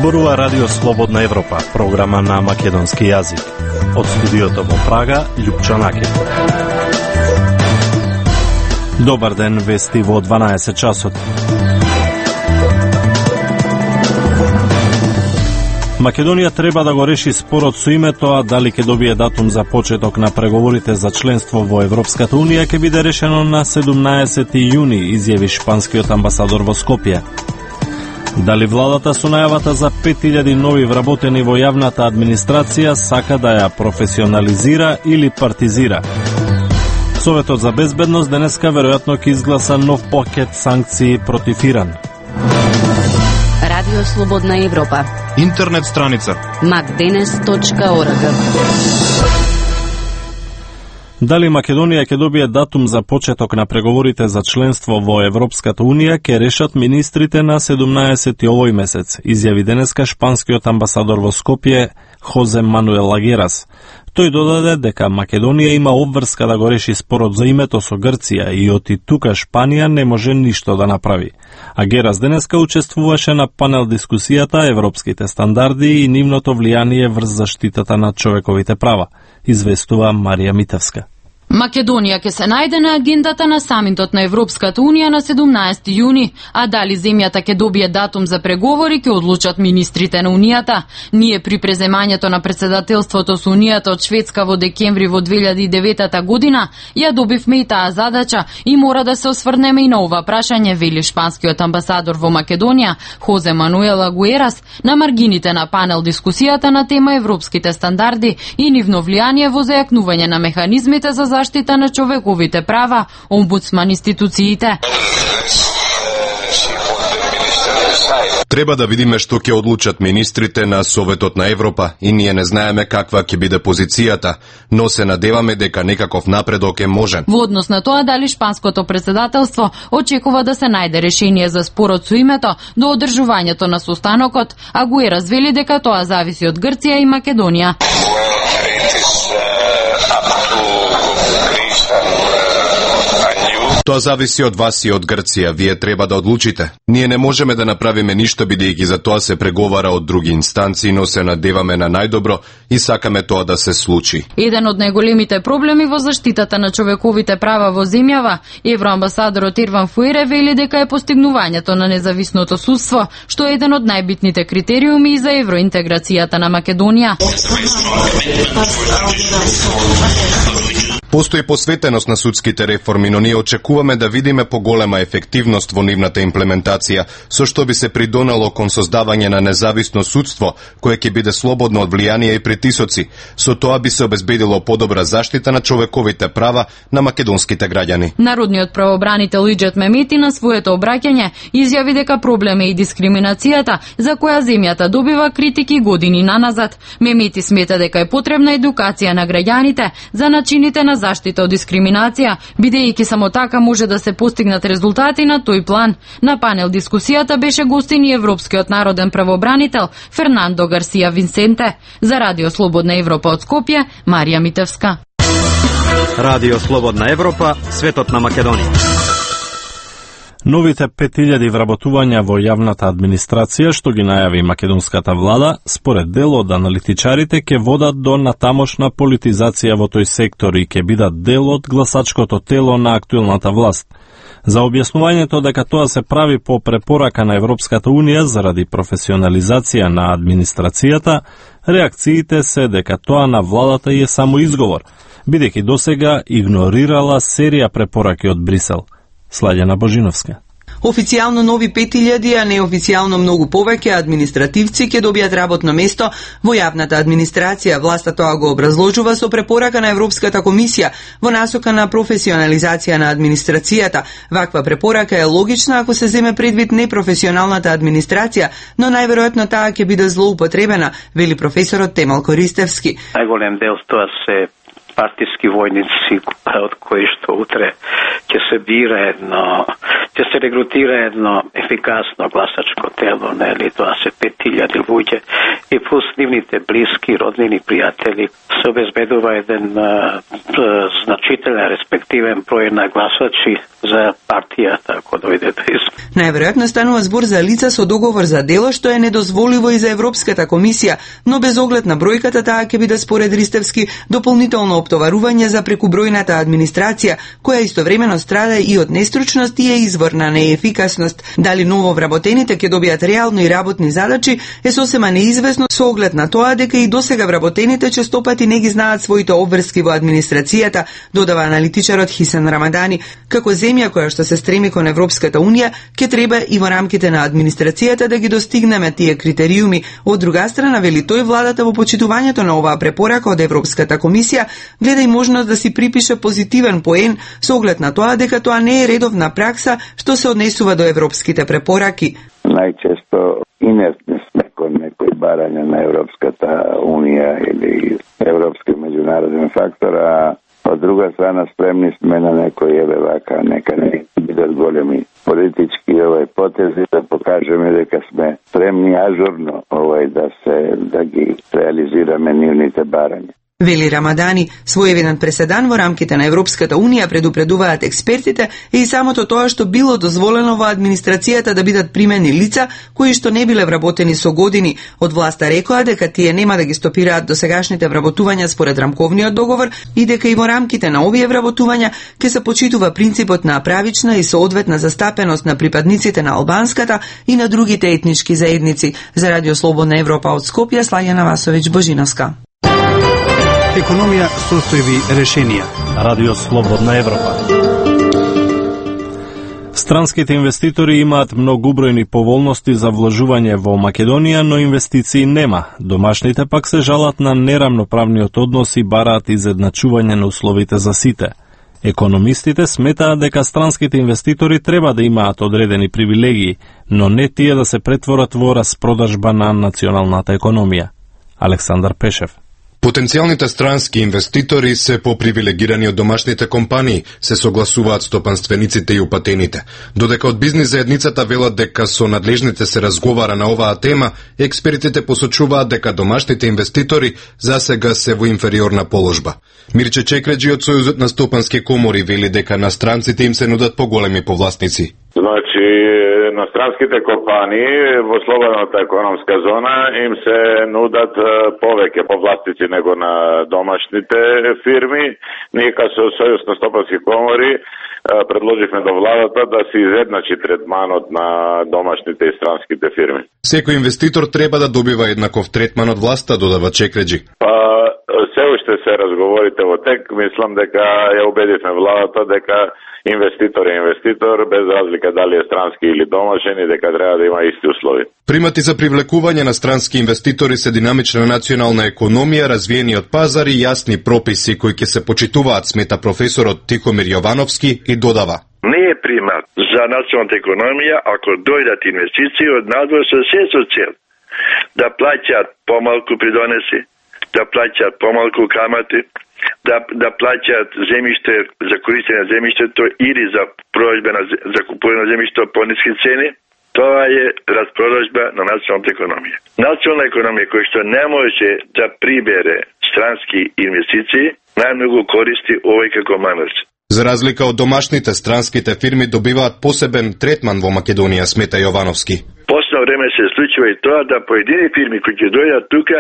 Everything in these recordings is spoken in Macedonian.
Зборува Радио Слободна Европа, програма на македонски јазик. Од студиото во Прага, Љупчо Накет. Добар ден, вести во 12 часот. Македонија треба да го реши спорот со името, а дали ќе добие датум за почеток на преговорите за членство во Европската Унија ќе биде решено на 17 јуни, изјави шпанскиот амбасадор во Скопје. Дали владата со најавата за 5000 нови вработени во јавната администрација сака да ја професионализира или партизира? Советот за безбедност денеска веројатно ќе изгласа нов пакет санкции против Иран. Радио Слободна Европа. Интернет страница macdenes.org. Дали Македонија ќе добие датум за почеток на преговорите за членство во Европската Унија ќе решат министрите на 17 овој месец, изјави денеска шпанскиот амбасадор во Скопје Хозе Мануел Агерас. Тој додаде дека Македонија има обврска да го реши спорот за името со Грција и оти тука Шпанија не може ништо да направи. Агерас денеска учествуваше на панел дискусијата Европските стандарди и нивното влијание врз заштитата на човековите права, известува Марија Митевска. Македонија ќе се најде на агендата на самитот на Европската Унија на 17 јуни, а дали земјата ќе добие датум за преговори ќе одлучат министрите на Унијата. Ние при преземањето на председателството со Унијата од Шведска во декември во 2009 година ја добивме и таа задача и мора да се осврнеме и на ова прашање, вели шпанскиот амбасадор во Македонија Хозе Мануел Агуерас на маргините на панел дискусијата на тема Европските стандарди и нивно влијание во зајакнување на механизмите за заштита на човековите права, омбудсман институциите. Треба да видиме што ќе одлучат министрите на Советот на Европа и ние не знаеме каква ќе биде позицијата, но се надеваме дека некаков напредок е можен. Во однос на тоа дали шпанското председателство очекува да се најде решение за спорот со името до одржувањето на состанокот, Агуерас вели дека тоа зависи од Грција и Македонија. Тоа зависи од вас и од Грција, вие треба да одлучите. Ние не можеме да направиме ништо бидејќи за тоа се преговара од други инстанции, но се надеваме на најдобро и сакаме тоа да се случи. Еден од најголемите проблеми во заштитата на човековите права во земјава, евроамбасадорот Ирван Фуере вели дека е постигнувањето на независното судство, што е еден од најбитните критериуми за евроинтеграцијата на Македонија. Постои посветеност на судските реформи, но ние очекуваме да видиме поголема ефективност во нивната имплементација, со што би се придонело кон создавање на независно судство, кое ќе биде слободно од влијание и притисоци. Со тоа би се обезбедило подобра заштита на човековите права на македонските граѓани. Народниот правобранител Иџет Мемети на своето обраќање изјави дека проблем е и дискриминацијата, за која земјата добива критики години наназад. Мемети смета дека е потребна едукација на граѓаните за начините на заштита од дискриминација, бидејќи само така може да се постигнат резултати на тој план. На панел дискусијата беше гостин и Европскиот народен правобранител Фернандо Гарсија Винсенте. За Радио Слободна Европа од Скопје, Марија Митевска. Радио Слободна Европа, светот на Македонија. Новите 5000 вработувања во јавната администрација, што ги најави македонската влада, според дел од аналитичарите ќе водат до натамошна политизација во тој сектор и ќе бидат дел од гласачкото тело на актуелната власт. За објаснувањето дека тоа се прави по препорака на Европската Унија заради професионализација на администрацијата, реакциите се дека тоа на владата е само изговор, бидејќи досега игнорирала серија препораки од Брисел. Сладјана Божиновска. Официјално нови 5000, а неофицијално многу повеќе административци ќе добијат работно место во јавната администрација. Власта тоа го образложува со препорака на Европската комисија во насока на професионализација на администрацијата. Ваква препорака е логична ако се земе предвид непрофесионалната администрација, но најверојатно таа ќе биде злоупотребена, вели професорот Темал Користевски. Најголем дел тоа се партиски војници од кои што утре ќе се бира ќе се регрутира едно ефикасно гласачко тело, нели, тоа се 5000 луѓе и плюс нивните блиски, роднини, пријатели, се обезбедува еден значителен, респективен број на гласачи за партијата, ако дојде до избори. Најверојатно станува збор за лица со договор за дело, што е недозволиво и за Европската комисија, но без оглед на бројката таа ќе биде според Ристевски дополнително оптоварување за прекубројната администрација, која истовремено страда и од нестручност и е извор на неефикасност. Дали ново вработените ќе добијат реално и работни задачи е сосема неизвестно со оглед на тоа дека и досега вработените честопати не ги знаат своите обврски во администрацијата, додава аналитичарот Хисен Рамадани. Како земја која што се стреми кон Европската унија, ќе треба и во рамките на администрацијата да ги достигнеме тие критериуми. Од друга страна, вели тој, владата во почитувањето на оваа препорака од Европската комисија гледа и можност да си припише позитивен поен со оглед на тоа дека тоа не е редовна пракса што се однесува до европските препораки. Најчесто инертни сме кон некои барања на Европската унија или европски меѓународен фактор, а од друга страна спремни сме на некои вака, нека не бидат големи политички потези да покажеме дека сме спремни ажурно да ги реализираме нивните барања. Вели Рамадани, своевиден преседан во рамките на Европската унија, предупредуваат експертите, и самото тоа што било дозволено во администрацијата да бидат примени лица кои што не биле вработени со години. Од власта рекоа дека тие нема да ги стопираат досегашните вработувања според рамковниот договор и дека и во рамките на овие вработувања ќе се почитува принципот на правична и соодветна застапеност на припадниците на албанската и на другите етнички заедници. За Радио Слободна Европа од Скопје, Слаѓана Васовиќ Божиновска. Економија, состојби, решенија. Радио Слободна Европа. Странските инвеститори имаат многубројни поволности за вложување во Македонија, но инвестиции нема. Домашните пак се жалат на нерамноправниот однос и бараат изедначување на условите за сите. Економистите сметаат дека странските инвеститори треба да имаат одредени привилегии, но не тие да се претворат во распродажба на националната економија. Александар Пешев. Потенцијалните странски инвеститори се попривилегирани од домашните компании, се согласуваат стопанствениците и упатените. Додека од бизнис заедницата велат дека со надлежните се разговара на оваа тема, експертите посочуваат дека домашните инвеститори засега се во инфериорна положба. Мирче Чекреджи од Сојузот на стопански комори вели дека на странците им се нудат поголеми повластници. Значи, на странските компании во слободната економска зона им се нудат повеќе повластници него на домашните фирми. Ние како Сојуз на стопански комори предложивме до владата да се изедначи третманот на домашните и странските фирми. Секој инвеститор треба да добива еднаков третман од власта, додава Чекреджи. Се уште се разговорите во тек, мислам дека ја убедивме владата дека инвеститор е инвеститор, без разлика дали е странски или домашен, и дека треба да има исти услови. Примати за привлекување на странски инвеститори се динамична национална економија, развиениот пазар и јасни прописи кои ќе се почитуваат, смета професорот Тихомир Јовановски и додава. Не е примат за националната економија ако дојдат инвестиции од надвор со се со цел да плаќаат помалку придонеси, да плаќаат помалку камати, да плаќаат земјиште за користење на земјиштето или за продажба за купување на земјиште по ниски цени. Тоа е распродажба на националната економија. Национална економија која што не може да прибере странски инвестиции, најмногу користи овој како манас. За разлика од домашните, странските фирми добиваат посебен третман во Македонија, смета Јовановски. Последно време се случува и тоа да поедини фирми кои ќе дојдат тука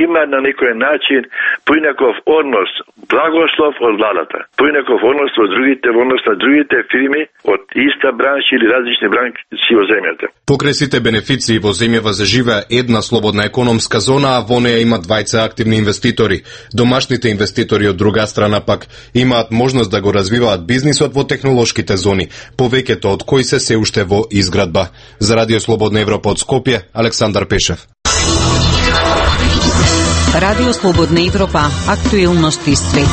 имаат на некој начин поинаков однос, благослов од владата, поинаков однос од другите, однос на другите фирми од иста бранша или различни бранши во земјата. Покрај сите бенефиции во земјава заживеа една слободна економска зона, а во неја има двајца активни инвеститори. Домашните инвеститори од друга страна пак имаат можност да го развиваат бизнисот во технолошките зони, повеќето од кои се уште во изградба. За Радио Слободна Европа од Скопје, Александар Пешев. Радио Слободна Европа, актуелности свет.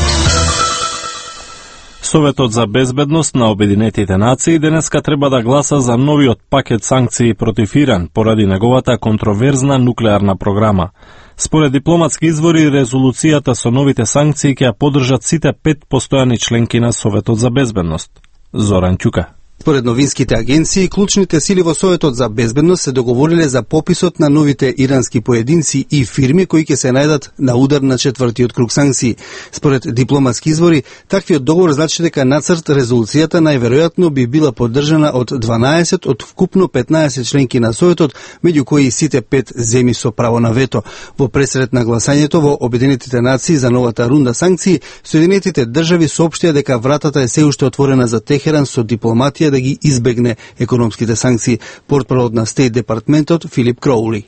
Советот за безбедност на Обединетите нации денеска треба да гласа за новиот пакет санкции против Иран поради неговата контроверзна нуклеарна програма. Според дипломатски извори, резолуцијата со новите санкции ќе ја поддржат сите 5 постојани членки на Советот за безбедност. Зоран Ќука. Според новинските агенции, клучните сили во Советот за безбедност се договориле за пописот на новите ирански поединци и фирми кои ќе се најдат на удар на четвртиот круг санкции. Според дипломатски извори, таквиот договор значи дека нацрт резолуцијата најверојатно би била поддржана од 12 од вкупно 15 членки на Советот, меѓу кои сите 5 земји со право на вето. Во пресред на гласањето во Обединетите нации за новата рунда санкции, Соединетите држави соопштија дека вратата е се уште отворена за Техеран со дипломатија да ги избегне економските санкции. Портпарол на Стейт департментот Филип Кроули.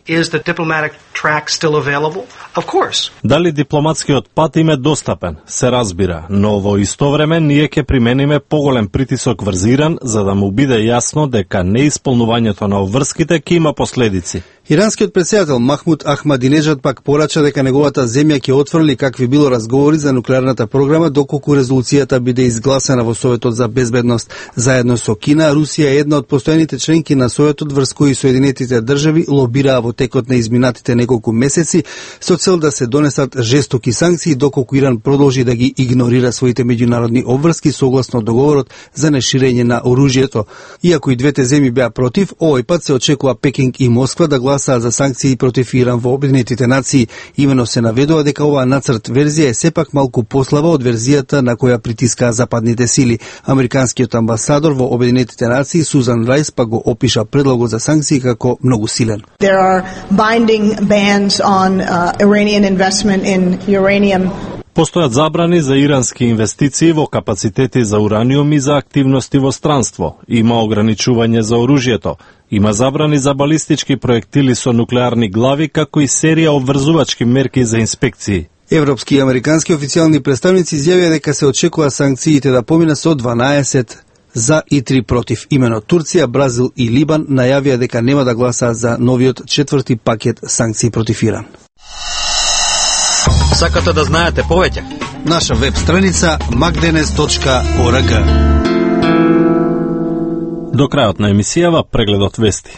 Дали дипломатскиот пат им е достапен? Се разбира, но во исто време ние ќе примениме поголем притисок врз Иран за да му биде јасно дека неисполнувањето на обврските ќе има последици. Иранскиот претседател Махмуд Ахмадинежад пак порача дека неговата земја ќе отфрли какви било разговори за нуклеарната програма доколку резолуцијата биде изгласена во Советот за безбедност. Заедно со Кина, Русија е една од постојаните членки на Советот врз кои Соединетите држави лобираа во текот на изминатите неколку месеци со цел да се донесат жестоки санкции доколку Иран продолжи да ги игнорира своите меѓународни обврски согласно договорот за неширење на оружјето. Иако и двете земји беа против, овој пат се очекува Пекинг и Москва да гласаа за санкции против Иран во Обединетите нации. Имено се наведува дека оваа нацрт верзија е сепак малку послаба од верзијата на која притискаа западните сили. Американскиот амбасадор во Обединетите нации Сузан Рајс па го опиша предлогот за санкции како многу силен. There are binding bans on Iranian investment in uranium. Постојат забрани за ирански инвестиции во капацитети за ураниум и за активности во странство. Има ограничување за оружјето. Има забрани за балистички проектили со нуклеарни глави, како и серија обврзувачки мерки за инспекции. Европски и американски официјални представници изјавија дека се очекува санкциите да поминат со 12 за и 3 против. Имено Турција, Бразил и Либан најавија дека нема да гласаат за новиот четврти пакет санкции против Иран. Сакате да знаете повеќе? Наша веб страница magdenes.org. До крајот на емисијава прегледот вести.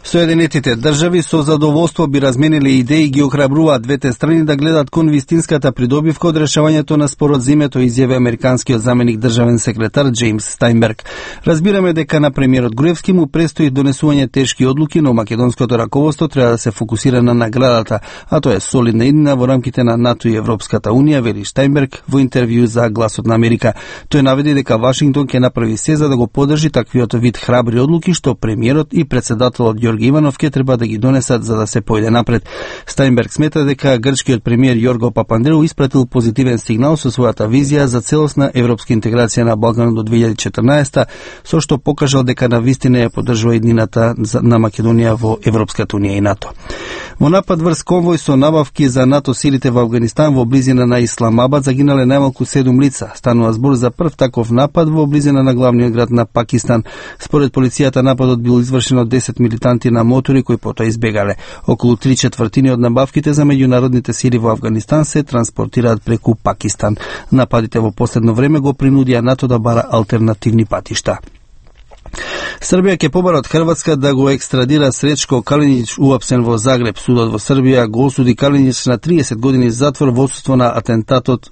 Соединетите држави со задоволство би размениле идеи и ги охрабруваат двете страни да гледат кон вистинската придобивка од решавањето на спорот за името, изјави американскиот заменик државен секретар Джеймс Стајнберг. Разбираме дека на премиерот Груевски му престои донесување тешки одлуки, но македонското раководство треба да се фокусира на наградата, а тоа е солидна иднина во рамките на НАТО и Европската унија, вели Стајнберг во интервју за Гласот на Америка. Тој наведе дека Вашингтон ќе направи се за да го поддржи таквиот вид храбри одлуки што премиерот и претседателот Иванов ке треба да ги донесат за да се појде напред. Стајнберг смета дека грчкиот премиер Јорго Папандреу испратил позитивен сигнал со својата визија за целосна европска интеграција на Балканот до 2014, со што покажал дека навистина ја поддржува иднината на Македонија во Европската унија и НАТО. Во напад врз конвој со набавки за НАТО силите во Авганистан во близина на Исламабад загинале најмалку 7 лица. Станува збор за прв таков напад во близина на главниот град на Пакистан. Според полицијата нападот бил извршен од 10 милитанти на мотори кои потоа избегале. Околу 3/4 од набавките за меѓународните сили во Авганистан се транспортираат преку Пакистан. Нападите во последно време го принудија НАТО да бара алтернативни патишта. Србија ќе побара од Хрватска да го екстрадира Сречко Калиниќ уапсен во Загреб. Судот во Србија го осуди Калиниќ на 30 години затвор во отсуство на атентатот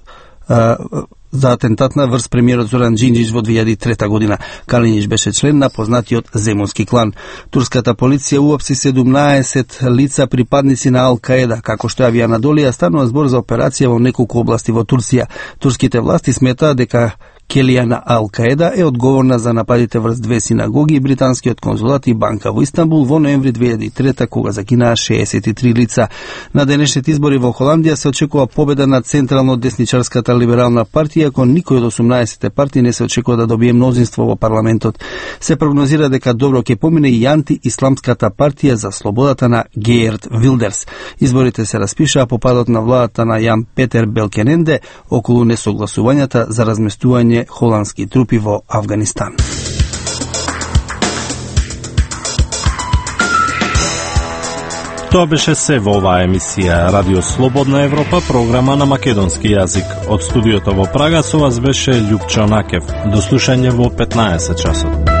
за атентат на врз премиерот Зоран Џинџиќ во 2003 година. Калиниќ беше член на познатиот земунски клан. Турската полиција уапси 17 лица припадници на Ал-Каеда. Како што јави Анадолија, станува збор за операција во неколку области во Турција. Турските власти сметаат дека Келија на Ал-Каеда е одговорна за нападите врз две синагоги и британскиот конзулат и банка во Истанбул во ноември 2003 кога загинаа 63 лица. На денешните избори во Холандија се очекува победа на централно десничарската либерална партија, ако никој од 18 партии не се очекува да добие мнозинство во парламентот. Се прогнозира дека добро ќе помине и анти-исламската партија за слободата на Геерт Вилдерс. Изборите се распишаа по падот на владата на Јан Петер Белкененде околу несогласувањата за разместување холандски трупи во Авганистан. Тоа беше се во оваа емисија Радио Слободна Европа, програма на македонски јазик. Од студиото во Прага со вас беше Љупчо Накев. До слушање во 15 часот.